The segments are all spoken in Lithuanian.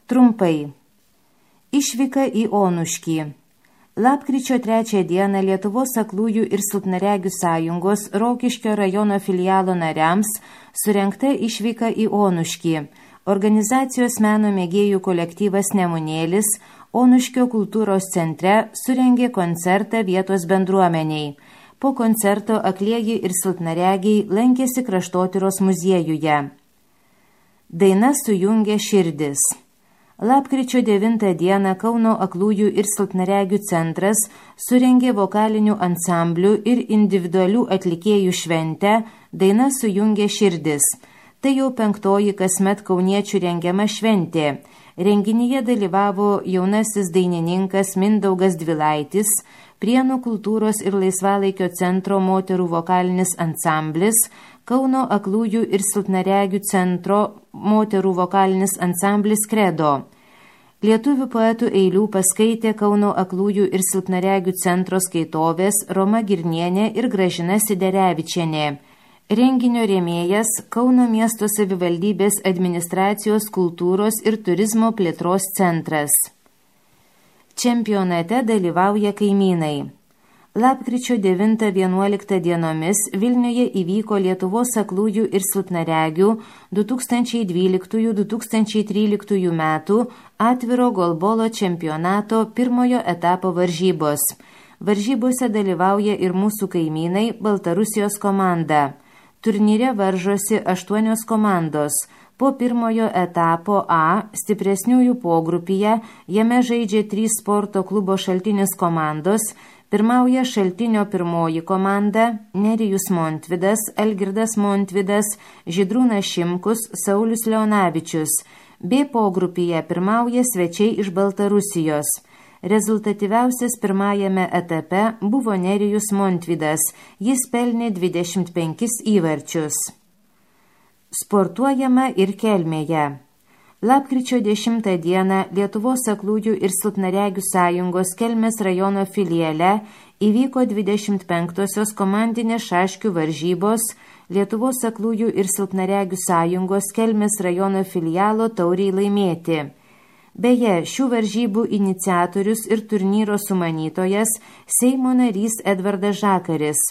Trumpai. Išvyka į Onuškį. Lapkričio 3 dieną Lietuvos aklųjų ir silpnaregių sąjungos Rokiškio rajono filialo nariams surengta išvyka į Onuškį. Organizacijos meno mėgėjų kolektyvas Nemunėlis Onuškio kultūros centre surengė koncertą vietos bendruomeniai. Po koncerto aklieji ir silpnaregiai lankėsi Kraštotyros muziejuje. Daina sujungia širdis. Lapkričio 9 dieną Kauno aklųjų ir silpnaregių centras surengė vokalinių ansamblių ir individualių atlikėjų šventę Daina sujungia širdis. Tai jau 5. kasmet kauniečių rengiama šventė. Renginyje dalyvavo jaunasis dainininkas Mindaugas Dvilaitis, Prienų kultūros ir laisvalaikio centro moterų vokalinis ansamblis, Kauno aklųjų ir silpnaregių centro moterų vokalinis ansamblis Kredo. Lietuvių poetų eilių paskaitė Kauno aklųjų ir silpnaregių centro skaitovės Roma Girnienė ir Gražina Siderevičienė. Renginio rėmėjas Kauno miesto savivaldybės administracijos kultūros ir turizmo plėtros centras. Čempionate dalyvauja kaimynai. Lapkričio 9-11 dienomis Vilniuje įvyko Lietuvos aklųjų ir silpnaregių 2012-2013 metų atviro golbolo čempionato pirmojo etapo varžybos. Varžybose dalyvauja ir mūsų kaimynai Baltarusijos komanda. Turnyre varžosi 8 komandos. Po pirmojo etapo A stipresniųjų pogrupyje jame žaidžia 3 sporto klubo Šaltinis komandos. Pirmauja Šaltinio pirmoji komanda Nerijus Montvidas, Algirdas Montvidas, Žydrūnas Šimkus, Saulius Leonavičius. B pogrupyje pirmauja svečiai iš Baltarusijos. Rezultatyviausias pirmajame etape buvo Nerijus Montvidas. Jis pelnė 25 įvarčius. Sportuojama ir Kelmėje. Lapkričio 10 dieną Lietuvos aklųjų ir silpnaregių sąjungos Kelmės rajono filiale įvyko 25-osios komandinės šaškių varžybos Lietuvos aklųjų ir silpnaregių sąjungos Kelmės rajono filialo tauriai laimėti. Beje, šių varžybų iniciatorius ir turnyro sumanytojas Seimo narys Edvardas Žakaris.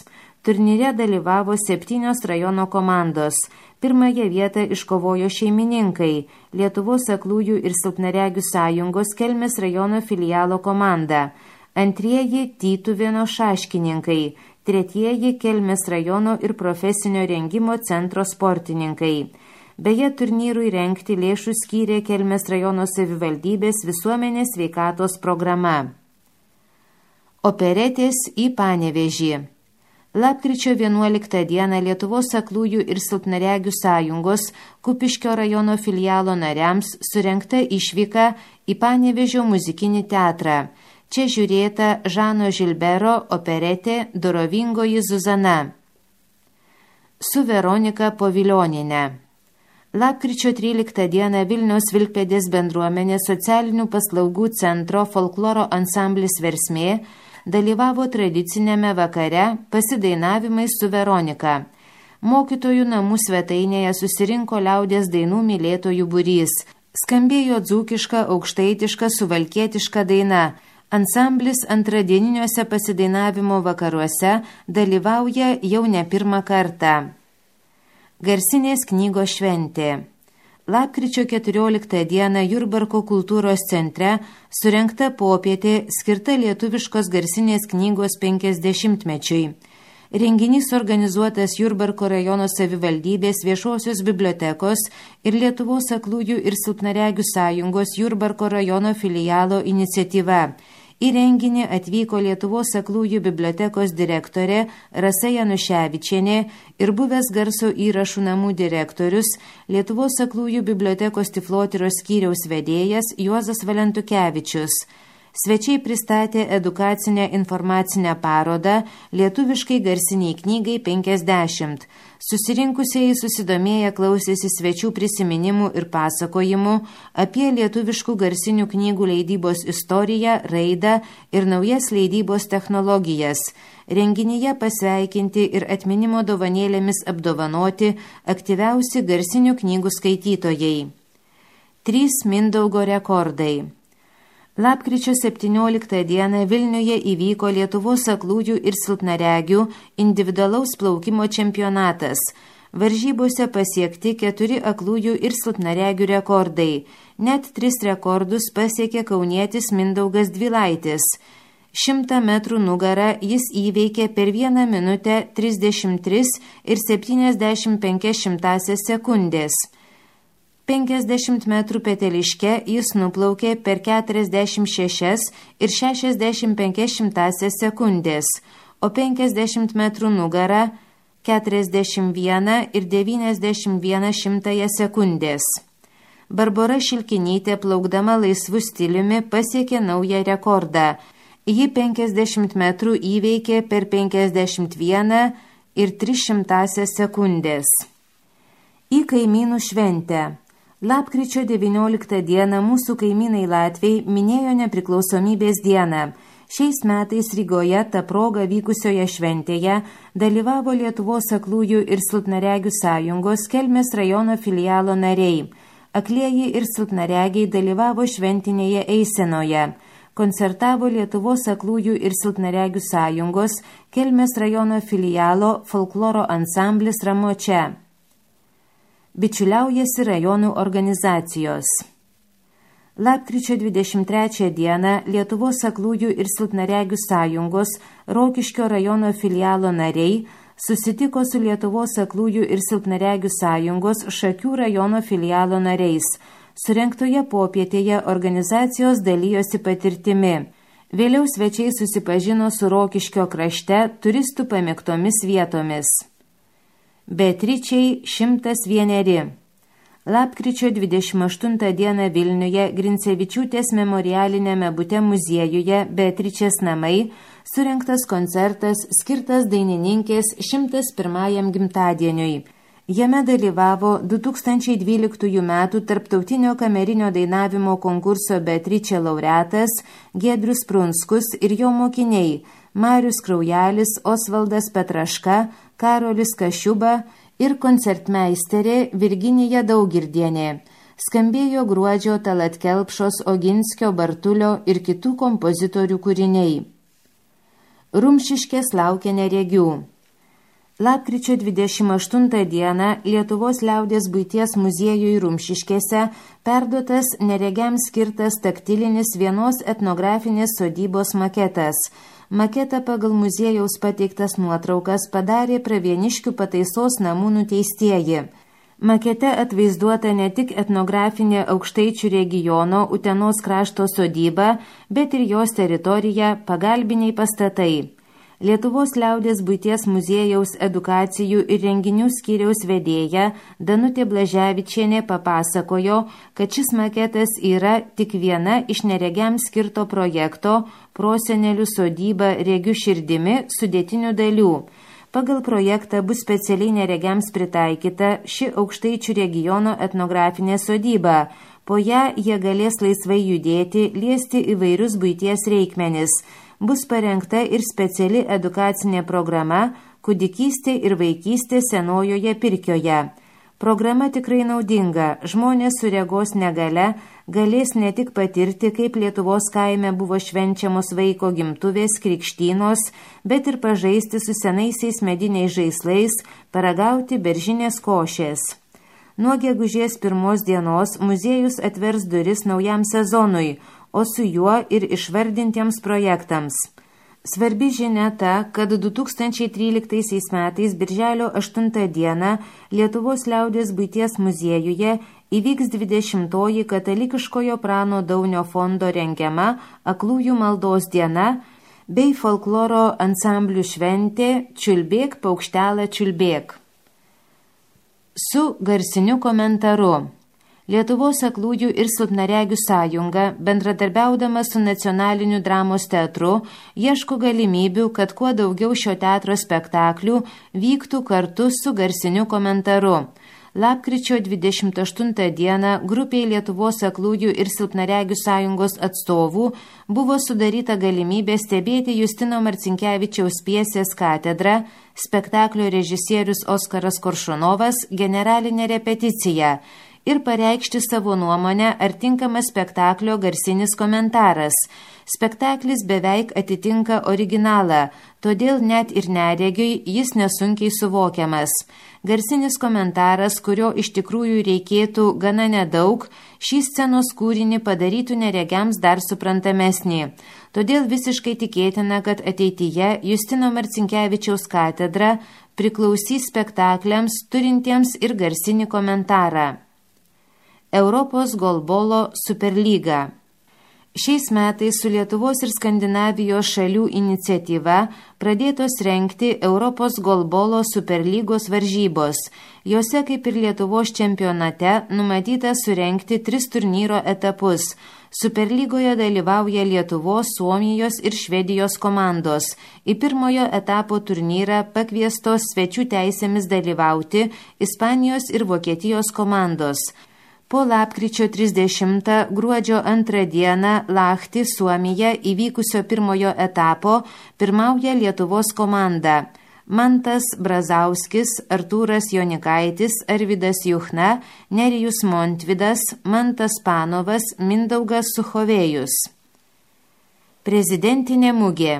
Turnyre dalyvavo 7 rajono komandos. Pirmąją vietą iškovojo šeimininkai Lietuvos aklųjų ir silpnaregių sąjungos Kelmės rajono filialo komanda. Antrieji Tytuvėno šaškininkai. Tretieji Kelmės rajono ir profesinio rengimo centro sportininkai. Beje, turnyrui rengti lėšų skyrė Kelmės rajono savivaldybės visuomenės sveikatos programa. Operetės į Panevėžį. Lapkričio 11 dieną Lietuvos aklųjų ir silpnaregių sąjungos Kupiškio rajono filialo nariams surengta išvyka į Panevėžio muzikinį teatrą. Čia žiūrėta Žano Žilbero operetė Dorovingoji Zuzana su Veronika Povilioniene. Lapkričio 13 dieną Vilniaus Vilkpėdės bendruomenės socialinių paslaugų centro folkloro ansamblis Versmė dalyvavo tradicinėme vakare pasidainavimais su Veronika. Mokytojų namų svetainėje susirinko liaudies dainų mylėtojų būrys. Skambėjo dzūkiška, aukštaitiška, suvalkietiška daina. Ansamblis antradieniniuose pasidainavimo vakaruose dalyvauja jau ne pirmą kartą. Garsinės knygos šventė. Lapkričio 14 dieną Jurbarko kultūros centre surengta popietė skirta lietuviškos garsinės knygos 50-mečiui. Renginys organizuotas Jurbarko rajono savivaldybės viešosios bibliotekos ir Lietuvos aklųjų ir silpnaregių sąjungos Jurbarko rajono filialo iniciatyva. Į renginį atvyko Lietuvos aklųjų bibliotekos direktorė Rasa Januševičienė ir buvęs garso įrašų namų direktorius Lietuvos aklųjų bibliotekos Tiflotyros skyriaus vedėjas Juozas Valentukevičius. Svečiai pristatė edukacinę informacinę parodą Lietuviškai garsiniai knygai 50. Susirinkusieji susidomėję klausėsi svečių prisiminimų ir pasakojimų apie lietuviškų garsinių knygų leidybos istoriją, raidą ir naujas leidybos technologijas. Renginyje pasveikinti ir atminimo dovanėlėmis apdovanoti aktyviausi garsinių knygų skaitytojai. 3 Mindaugo rekordai. Lapkričio 17 dieną Vilniuje įvyko Lietuvos aklųjų ir silpnaregių individualaus plaukimo čempionatas. Varžybose pasiekti 4 aklųjų ir silpnaregių rekordai. Net 3 rekordus pasiekė kaunietis Mindaugas Dvilaitis. 100 metrų nugarą jis įveikė per 1 minutę 33 ir 75 sekundės. 50 metrų peteliške jis nuplaukė per 46 ir 65 sekundės, o 50 metrų nugarą 41 ir 91 sekundės. Barbora Šilkinytė plaukdama laisvu stiliumi pasiekė naują rekordą. Ji 50 metrų įveikė per 51 ir 300 sekundės. Į kaimynų šventę. Lapkričio 19 dieną mūsų kaimynai Latviai minėjo nepriklausomybės dieną. Šiais metais Rygoje ta proga vykusioje šventėje dalyvavo Lietuvos aklųjų ir silpnaregių sąjungos Kelmės rajono filialo nariai. Aklieji ir silpnaregiai dalyvavo šventinėje eisenoje. Koncertavo Lietuvos aklųjų ir silpnaregių sąjungos Kelmės rajono filialo folkloro ansamblis Ramočia. Bičiuliaujasi rajonų organizacijos. Lapkričio 23 dieną Lietuvos aklųjų ir silpnaregių sąjungos Rokiškio rajono filialo nariai susitiko su Lietuvos aklųjų ir silpnaregių sąjungos Šakių rajono filialo nariais. Surengtoje popietėje organizacijos dalyjosi patirtimi. Vėliau svečiai susipažino su Rokiškio krašte turistų pamėgtomis vietomis. Beatričei 101. Lapkričio 28 dieną Vilniuje Grincevičiūtės memorialinėme bute muziejuje Beatričės namai surengtas koncertas skirtas dainininkės 101 gimtadieniui. Jame dalyvavo 2012 metų Tarptautinio kamerinio dainavimo konkurso Beatričė laureatas Giedrius Prunskus ir jo mokiniai Marius Kraujelis, Osvaldas Petraška, Karolis Kašiuba ir koncertmeisterė Virginija Daugirdienė. Skambėjo Gruodžio Talat Kelpšos, Oginskio, Bartulio ir kitų kompozitorių kūriniai. Rumšiškės laukia neregių. Lapkričio 28 dieną Lietuvos liaudies buities muziejui Rumšiškėse perduotas neregiams skirtas taktilinis vienos etnografinės sodybos maketas. Maketą pagal muziejaus pateiktas nuotraukas padarė Pravieniškių pataisos namų nuteistieji. Makete atvaizduota ne tik etnografinė Aukštaičių regiono Utenos krašto sodyba, bet ir jos teritorija, pagalbiniai pastatai. Lietuvos liaudies buities muziejaus edukacijų ir renginių skyriaus vedėja Danutė Blaževičienė papasakojo, kad šis maketas yra tik viena iš neregiams skirto projekto Prosenelių sodyba regių širdimi sudėtinių dalių. Pagal projektą bus specialiai neregiams pritaikyta ši Aukštaičių regiono etnografinė sodyba. Po ją jie galės laisvai judėti, liesti įvairius buities reikmenis. Bus parengta ir speciali edukacinė programa Kūdikystė ir vaikystė senojoje Pirkioje. Programa tikrai naudinga. Žmonės su regos negale galės ne tik patirti, kaip Lietuvos kaime buvo švenčiamos vaiko gimtuvės, krikštynos, bet ir pažaisti su senaisiais mediniais žaislais, paragauti beržinės košės. Nuo gegužės 1 dienos muziejus atvers duris naujam sezonui, o su juo ir išvardintiems projektams. Svarbi žinia ta, kad 2013 metais birželio 8 dieną Lietuvos liaudies buities muziejuje įvyks 20-oji katalikiškojo Prano Daunio fondo rengiama Aklųjų maldos diena bei folkloro ansamblių šventė Čiulbėk, paukštelą čiulbėk. Su garsiniu komentaru. Lietuvos aklųjų ir silpnaregių sąjunga, bendradarbiaudama su Nacionaliniu dramos teatru, ieško galimybių, kad kuo daugiau šio teatro spektaklių vyktų kartu su garsiniu komentaru. Lapkričio 28 dieną grupiai Lietuvos aklųjų ir silpnaregių sąjungos atstovų buvo sudaryta galimybė stebėti Justino Marcinkevičiaus pjesės Katedra, spektaklio režisierius Oskaras Koršunovas, generalinė repeticija. ir pareikšti savo nuomonę, ar tinkamas spektaklio garsinis komentaras. Spektaklis beveik atitinka originalą, todėl net ir neregiui jis nesunkiai suvokiamas. Garsinis komentaras, kurio iš tikrųjų reikėtų gana nedaug, šį scenos kūrinį padarytų neregiams dar suprantamesnį. Todėl visiškai tikėtina, kad ateityje Justino Marcinkevičiaus katedra priklausys spektakliams turintiems ir garsinį komentarą. Europos golbolo superlyga. Šiais metais su Lietuvos ir Skandinavijos šalių iniciatyva pradėtos rengti Europos golbolo superlygos varžybos. Jose, kaip ir Lietuvos čempionate, numatyta surengti 3 turnyro etapus. Superlygoje dalyvauja Lietuvos, Suomijos ir Švedijos komandos. Į pirmojo etapo turnyrą pakviestos svečių teisėmis dalyvauti Ispanijos ir Vokietijos komandos. Po lapkričio 30 gruodžio 2 dieną Lahti, Suomija, įvykusio pirmojo etapo pirmauja Lietuvos komanda. Mantas Brazauskis, Artūras Jonikaitis, Arvydas Juchna, Nerijus Montvidas, Mantas Panovas, Mindaugas Suchovėjus. Prezidentinė mugė.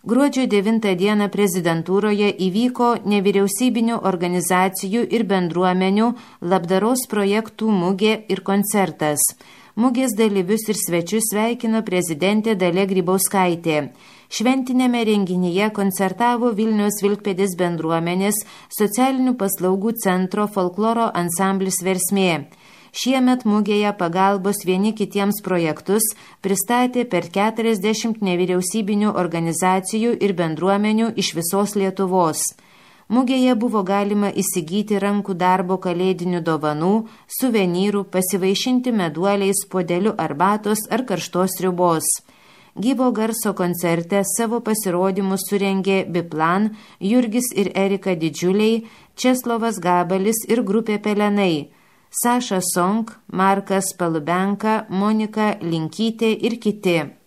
Gruodžio 9 dieną prezidentūroje įvyko nevyriausybinių organizacijų ir bendruomenių labdaros projektų mugė ir koncertas. Mugės dalyvius ir svečius sveikino prezidentė Dalia Grybauskaitė. Šventinėme renginyje koncertavo Vilniaus Vilkpėdės bendruomenės socialinių paslaugų centro folkloro ansamblis Versmė. Šiemet mugėje pagalbos vieni kitiems projektus pristatė per 40 nevyriausybinių organizacijų ir bendruomenių iš visos Lietuvos. Mugėje buvo galima įsigyti rankų darbo kalėdinių dovanų, suvenyrų, pasivaišinti meduoliais, puodeliu arbatos ar karštos sriubos. Gyvo garso koncerte savo pasirodymus surengė Biplan, Jurgis ir Erika Didžiuliai, Česlovas Gabalis ir grupė Pelenai, Saša Song, Markas Palubenka, Monika Linkytė ir kiti.